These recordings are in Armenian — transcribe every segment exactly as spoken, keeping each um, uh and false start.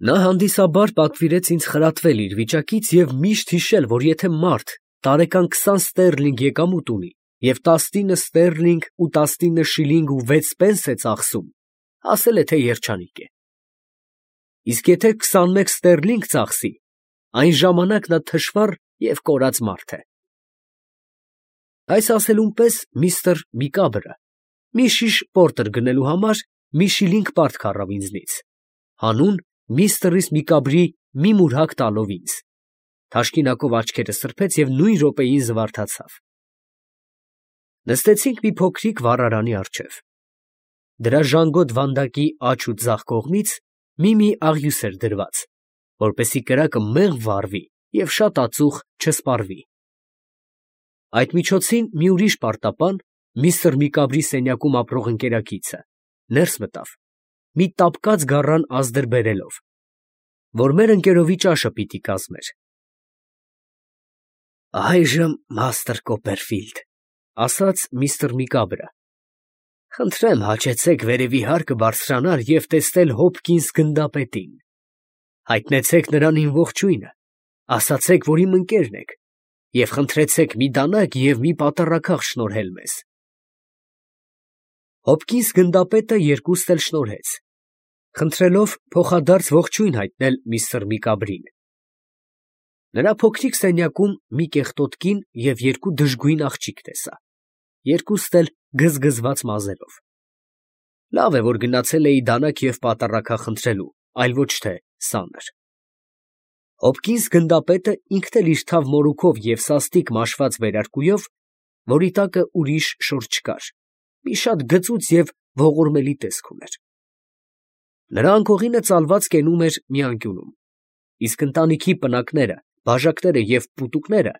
Նա հանդիսաբար պատվիրեց ինձ խրատվել իր վիճակից և միշտ հիշել, որ եթե մարդ տարեկան քսան ստերլինգ եկամուտ ունի և տասնինը ստերլինգ ու տասնինը շիլինգ ու վեց պենս է ծախսում, ասել է, թե երջանիկ է. իսկ եթե քսանմեկ ստերլինգ ծախսի, այն ժամանակ նա թշվառ և կորած մարդ է։ Այս ասելուն պես միստր Միկաբրը մի շիշ պորտեր գնելու համար մի շիլինգ պարտք առավ ինձնից, հանուն միստր Միկաբրի մի մուրհակ տալով ինձ, թաշկինակով աչքերը սրբեց և նույն րոպեին զվարթացավ։ Նստեցինք մի փոքրիկ վառարանի առջև. դրա ժանգոտ վանդակի աջ ու ձախ կողմից մի֊մի աղյուս էր դրված, որպեսզի կրակը մեղմ վառվի և շատ ածուխ չսպառվի։ Այդ միջոցին մի ուրիշ պարտապան, միստր Միկաբրի սենյակում ապրող ընկերակիցը, ներս մտավ, մի տապկած գառան ազդր բերելով, որ մեր ընկերովի ճաշը պիտի կազմեր։ ֊ Այժմ, մաստր Կոպերֆիլդ, ֊ ասաց միստր Միկաբրը, ֊ խնդրեմ հաճեցեք վերևի հարկը բարձրանալ և տեսնել Հոփքինս գնդապետին. հայտնեցեք նրան իմ ողջույնը, ասացեք, որ իմ ընկերն եք, և խնդրեցեք մի դանակ և մի պատառաքաղ շնորհել մեզ։ Հոփքինս գնդապետը երկուստ էլ շնորհեց, խնդրելով փոխադարձ ողջույն հայտնել միստր Միկաբրին։ Նրա փոքրիկ սենյակում մի կեղտոտ կին և երկու դժգույն աղջիկ տեսա, երկուստ էլ գզգզված մազերով։ Լավ է, որ գնացել էի դանակ և պատառաքաղ խնդրելու, այլ ոչ թե սանր։ Հոփքինս գնդապետը ինքն էլ իր թավ մորուքով և սաստիկ մաշված վերարկուով, որի տակը ուրիշ շոր չկար, մի շատ գծուծ և ողորմելի տեսք ուներ։ Նրա անկողինը ծալված կենում էր մի անկյունում, իսկ ընտանիքի պնակները, բաժակները և պուտուկները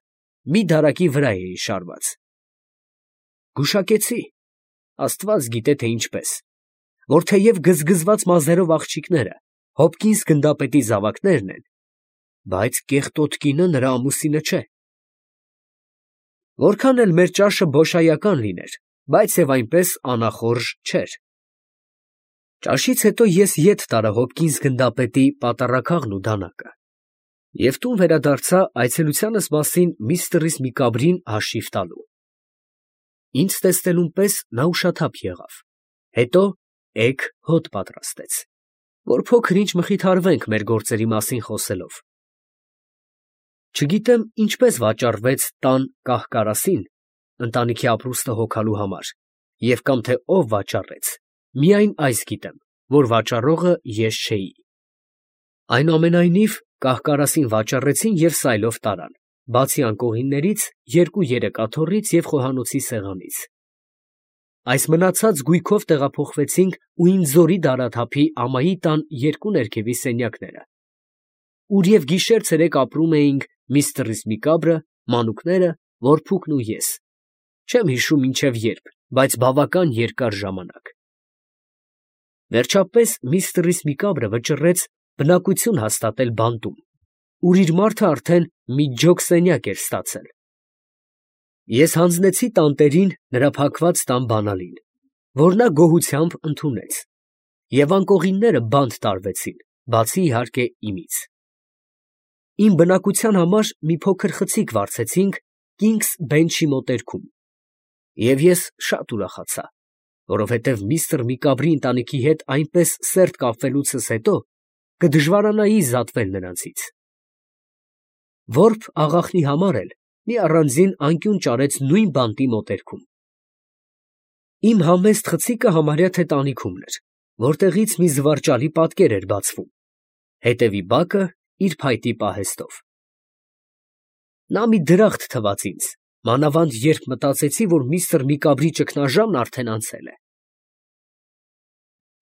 մի դարակի վրա էին շարված։ Գուշակեցի, աստված գիտե, թե ինչպես, որ թեև գզգզված մազերով աղջիկները Հոփքինս գնդապետի զավակներն են, բայց կեղտոտ կինը նրա ամուսինը չէ։ Որքան էլ մեր ճաշը բոշայական լիներ, բայց և այնպես անախորժ չէր։ Ճաշից հետո ես ետ տարա Հոփքինս գնդապետի պատառաքաղն ու դանակը և տուն վերադարձա այցելությանս մասին միստր Միկաբրին հաշիվ տալու։ Ինձ տեսնելուն պես նա ուշաթափ եղավ, հետո էգ հոտ պատրաստեց, որ փոքր ինչ մխիթարվենք մեր գործերի մասին խոսելով։ Չգիտեմ ինչպես վաճառվեց տան կահ֊կարասին ընտանիքի ապրուստը հոգալու համար և կամ թե ով վաճառեց, միայն այս գիտեմ, որ վաճառողը ես չէի։ Այնուամենայնիվ կահ֊կարասին վաճառեցին և սայլով տարան, բացի անկողիններից, երկու-երեք աթոռից և խոհանոցի սեղանից։ Այս մնացած գույքով տեղափոխվեցինք ու ինձ զորի դարաթափի ամայի տան երկու ներքևի սենյակները, ուր և գիշեր֊ցերեկ ապրում էինք միստր Միկաբրը, մանուկները, որփուկն ու ես, չեմ հիշում մինչև երբ, բայց բավական երկար ժամանակ։ Վերջապես միստր Միկաբրը վճռեց բնակություն հաստատել բանտում, ուր իր մարդը արդեն մի ջոկ սենյակ էր ստացել։ Ես հանձնեցի տանտերին նրա փակված տան բանալին, որ նա գոհությամբ ընդունեց, և անկողինները բանտ տարվեցին, բացի իհարկե իմից։ Իմ բնակության համար մի փոքր խցիկ վարձեցինք Կինգս Բենչի մոտերքում, և ես շատ ուրախացա, որովհետև միստր Միկաբրի ընտանիքի հետ այնպես սերտ կապվելուցս հետո կդժվարանայի զատվել նրանցից։ Որբ աղախնի համար էլ մի առանձին անկյուն ճարեց նույն բանտի մոտերքում։ Իմ համեստ խցիկը համարյա թե տանիքումն էր, որտեղից մի զվարճալի պատկեր էր բացվում, հետևի բակը իր փայտի պահեստով։ Նա մի դրախտ թվաց ինձ, մանավանդ երբ մտածեցի, որ միստր Միկաբրի ճգնաժամն արդեն անցել է։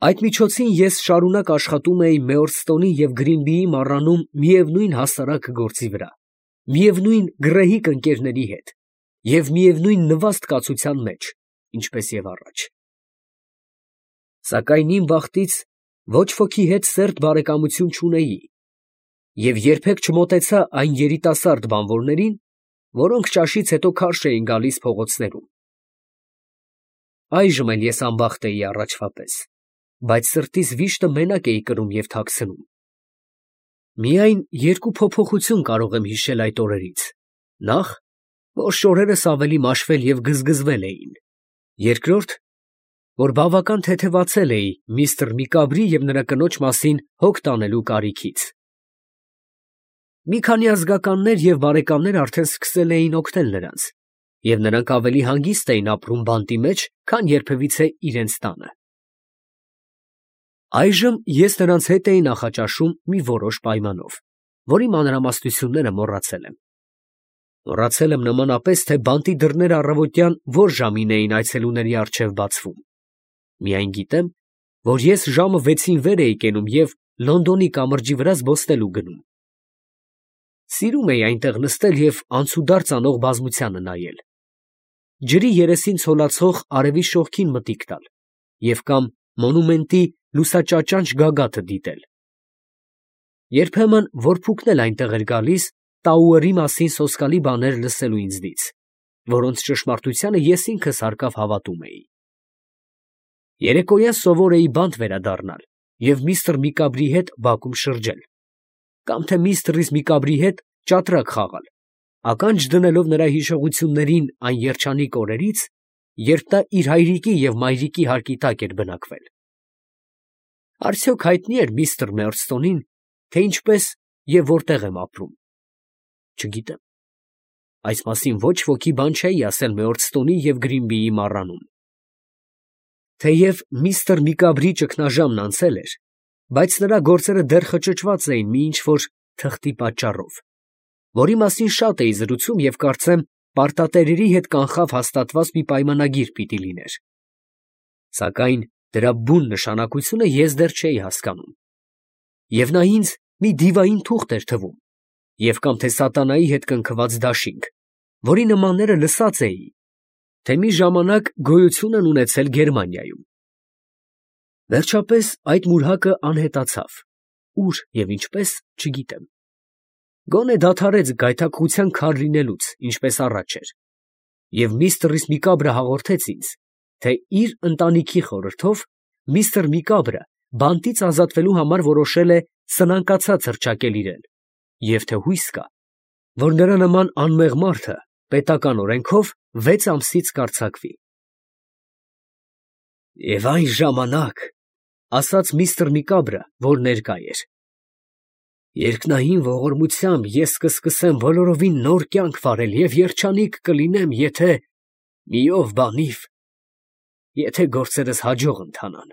Այդ միջոցին ես շարունակ աշխատում էի Մեօրստոնի և Գրինբիի մառանում միևնույն հասարակ գործի վրա, միևնույն գռեհիկ ընկերների հետ և միևնույն նվաստ կացության մեջ, ինչպես և առաջ։ Սակայն իմ բախտից ոչ ոքի հետ սերտ բարեկամություն չունեի և երբեք չմոտեցա այն երիտասարդ բանվորներին, որոնք ճաշից հետո քարշ էին գալիս փողոցներում։ Այժմ էլ ես անբախտ էի առաջվա պես, բայց սրտիս վիշտը մենակ էի կրում և թաքցնում։ Միայն երկու փոփոխություն կարող եմ հիշել այդ օրերից. նախ, որ շորերս ավելի մաշվել և գզգզվել էին. երկրորդ, որ բավական թեթևացել էի միստր Միկաբրի և նրա կնոջ մասին հոգ տանելու կարիքից։ Մի քանի ազգականներ և բարեկամներ արդեն սկսել էին օգնել նրանց, և նրանք ավելի հանգիստ էին ապրում բանտի մեջ, քան երբևիցե իրենց տանը։ Այժմ ես նրանց հետ էի նախաճաշում մի որոշ պայմանով, որի մանրամասնությունները մոռացել եմ։ Մոռացել եմ նմանապես, թե բանտի դռները առավոտյան որ ժամին էին այցելուների առջև բացվում։ Միայն գիտեմ, որ ես ժամը վեցին վեր էի կենում և Լոնդոնի կամրջի վրա զբոսնելու գնում։ Սիրում էի այնտեղ նստել և անցուդարձ անող բազմությանը նայել, ջրի երեսին ցոլացող արևի շողքին մտիկ տալ և կամ մոնումենտի լուսաճաճանճ գագաթը դիտել։ Երբեմն որփուկն էլ այնտեղ էր գալիս Տաուերի մասին սոսկալի բաներ լսելու ինձնից, որոնց ճշմարտությանը ես ինքս հարկավ հավատում էի։ Երեկոյան սովոր էի բանտ վերադառնալ և միստր Միկաբրի հետ բակում շրջել, կամ թե միստր Միկաբրի հետ ճատրակ խաղալ, ականջ դնելով նրա հիշողություններին այն երջանիկ օրերից, երբ նա իր հայրիկի և մայրիկի հարկի տակ էր բնակվել։ Արդյոք հայտնի էր միստր Մերձթոնին, թե ինչպես և որտեղ եմ ապրում։ Չգիտեմ, այս մասին ոչ ոքի բան չէի ասել Մերձթոնի և Գրինբիի մառանում։ Թեև միստր Միկաբրի ճգնաժամն անցել էր, բայց նրա գործերը դեռ խճճված էին մի ինչ֊որ թղթի պատճառով, որի մասին շատ էի զրուցում և կարծեմ պարտատերերի հետ կանխավ հաստատված մի պայմանագիր պիտի լիներ։ Սակայն դրա բուն նշանակությունը ես դեռ չէի հասկանում, և նա ինձ մի դիվային թուղթ էր թվում, և կամ թե սատանայի հետ կնքված դաշինք, որի նմանները լսած էի, թե մի ժամանակ գոյություն են ունեցել Գերմանիայում։ Վերջապես այդ մուրհակը անհետացավ, ուր և ինչպես չգիտեմ։ Գոնե դադարեց գայթակղության քար լինելուց, ինչպես առաջ էր, և միստր Միկաբրը հաղորդեց ինձ, թե իր ընտանիքի խորհրդով միստր Միկաբրը բանտից ազատվելու համար որոշել է սնանկացած հռչակել իրեն, և թե հույս կա, որ նրա նման անմեղ մարդը պետական օրենքով վեց ամսից կարձակվի։ «Եվ այն ժամանակ, ֊ ասաց միստր Միկաբրը, որ ներկա էր, ֊ երկնային ողորմությամբ ես կսկսեմ բոլորովին նոր կյանք վարել և երջանիկ կլինեմ, եթե մի ով բանիվ, եթե գործերս հաջող ընթանան»։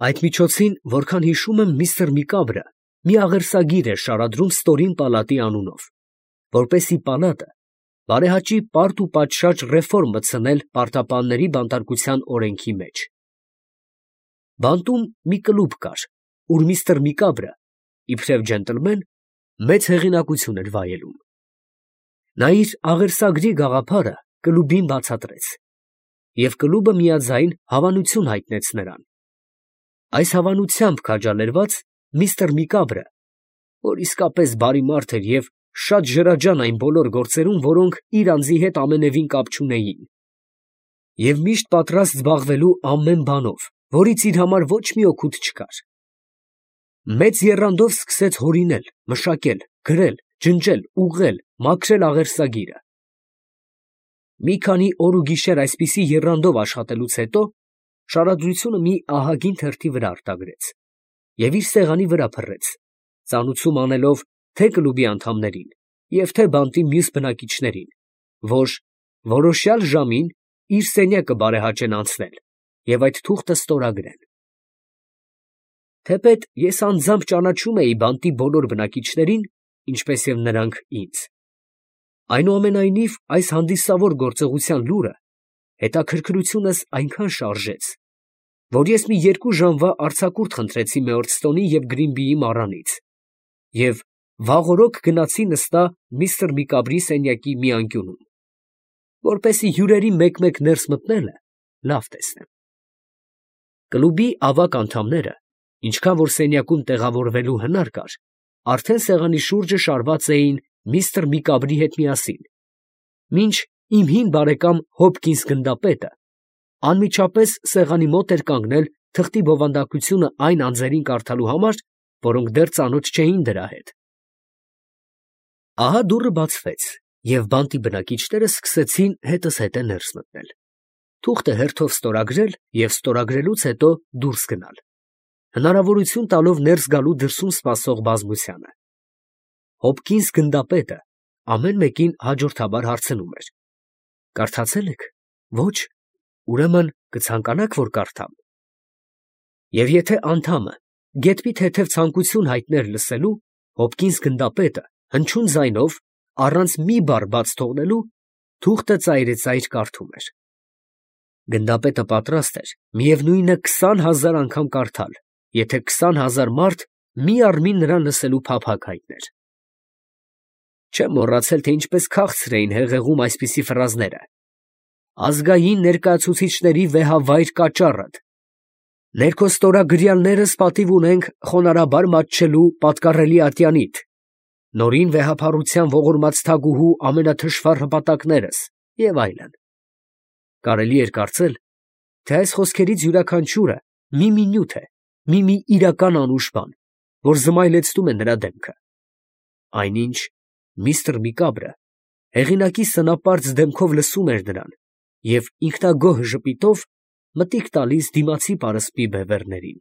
Այդ միջոցին, որքան հիշում եմ, միստր Միկաբրը մի աղերսագիր էր շարադրում ստորին պալատի անունով, որպեսզի պալատը բարեհաճի պարտ ու պատշաճ ռեֆորմ մտցնել պարտապանների բանտարկության օրենքի մեջ։ Բանտում մի կլուբ կար, ուր միստր Միկաբրը, իբրև ջենտլմեն, մեծ հեղինակություն էր վայելում։ Նա իր աղերսագրի գաղափարը կլուբին բացատրեց, և կլուբը միաձայն հավանություն հայտնեց նրան։ Այս հավանությամբ քաջալերված միստր Միկաբրը, որ իսկապես բարի մարդ էր և շատ ջրաջան այն բոլոր գործերում, որոնք իր անձի հետ ամենևին կապ չունեին, և միշտ պատրաստ զբաղվելու ամեն բանով, որից իր համար ոչ մի օգուտ չկար, մեծ եռանդով սկսեց հորինել, մշակել, գրել, ջնջել, ուղղել, մաքրել աղերսագիրը։ Մի քանի օր ու գիշեր այսպիսի եռանդով աշխատելուց հետո շարադրությունը մի ահագին թերթի վրա արտագրեց և իր սեղանի վրա փռեց, ծանուցում անելով թե կլուբի անդամներին և թե բանտի մյուս բնակիչներին, որ որոշյալ ժամին իր սենյակը բարեհաճեն անցնել և այդ թուղթը ստորագրեն։ Թեպետ ես անձամբ ճանաչում էի բանտի բոլոր բնակիչներին, ինչպես և նրանք ինձ, այնուամենայնիվ այս հանդիսավոր գործողության լուրը հետաքրքրությունս այնքան շարժեց, որ ես մի երկու ժամվա արձակուրդ խնդրեցի Մեորդստոնի և Գրինբիի մառանից և վաղօրոք գնացի նստա միստր Միկաբրի սենյակի մի անկյունում, որպեսզի հյուրերի մեկ֊մեկ ներս մտնելը լավ տեսնեմ։ Կլուբի ավագ անդամները, ինչքան որ սենյակում տեղավորվելու հնար կար, արդեն սեղանի շուրջը շարված էին միստր Միկաբրի հետ միասին, մինչ իմ հին բարեկամ Հոփքինս գնդապետը անմիջապես սեղանի մոտ էր կանգնել թղթի բովանդակությունը այն անձերին կարդալու համար, որոնք դեռ ծանոթ չէին դրա հետ։ Ահա դուռը բացվեց, և բանտի բնակիչները սկսեցին հետզհետե ներս մտնել, թուղթը հերթով ստորագրել և ստորագրելուց հետո դուրս գնալ, հնարավորություն տալով ներս գալու դրսում սպասող բազմությանը։ Հոփքինս գնդապետը ամեն մեկին հաջորդաբար հարցնում էր. «Կարդացե՞լ եք։ Ոչ։ Ուրեմն կցանկանա՞ք, որ կարդամ»։ Եվ եթե անդամը գեթպի թեթև ցանկություն հայտներ լսելու, Հոփքինս գնդապետը հնչյուն ձայնով, առանց մի բառ բաց թողնելու, թուղթը ծայրիծայր կարդում էր։ Գնդապետը պատրաստ էր միևնույնը քսան հազար անգամ կարդալ, եթե քսան հազար մարդ միառմին նրան լսելու փափագ հայտներ։ Չեմ մոռացել, թե ինչպես քաղցր էին հեղեղում այսպիսի ֆրազները. «Ազգային ներկայացուցիչների վեհավայր կաճառդ», «Ներքո ստորագրյալներս պատիվ ունենք խոնարհաբար մատչելու պատկառելի ատյանիդ», «Նորին վեհափառության ողորմած թագուհու ամենաթշվառ հպատակներս» և այլն։ Կարելի էր կարծել, թե այս խոսքերից յուրաքանչյուրը մի֊մի նյութ է, մի֊մի իրական անուշ բան, որ զմայլեցնում է նրա դեմքը։ Այնինչ միստր Միկաբրը հեղինակի սնապարծ դեմքով լսում էր նրան և ինքնագոհ ժպիտով մտիկ տալիս դիմացի պարսպի բևեռներին։